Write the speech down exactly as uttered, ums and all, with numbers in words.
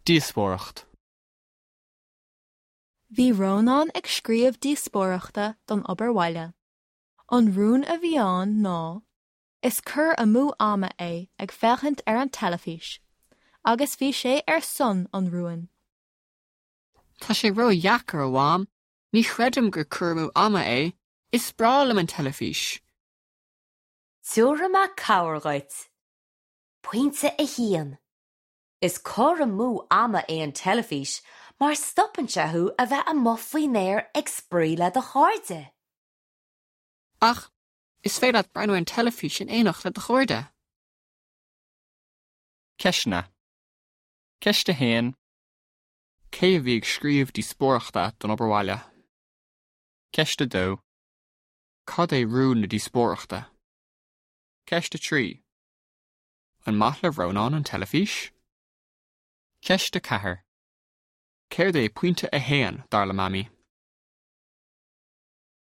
Díospóireacht. Bhí Rónán ag scríobh díospóireachta don obair bhaile. An rún a bhí ann ná, Is cur amú ama é ag féachaint ar an teilifís, agus bhí sé ar son an rúin. Tá sé ró-dheacair a Mham, ní chreidim gur cur amú ama é, is breá liom an teilifís. Tabharfaidh mé cabhair duit. Pointe a haon. Is cur amú ama é an teilifís mar stopann sé thú a bheith amuigh faoin aer ag spraoi le do chairde. Ach is féidir leat breathnú ar an teilifís in éineacht le do chairde. Ceisteanna. Ceist a haon. Cé a bhí ag scríobh díospóireachta don obair bhaile? Ceist a dó. Cad é rún na díospóireachta? Ceist a trí. An maith le Rónán an teilifís? Ceist a ceathair. Céard é pointe a haon dar le Mamaí?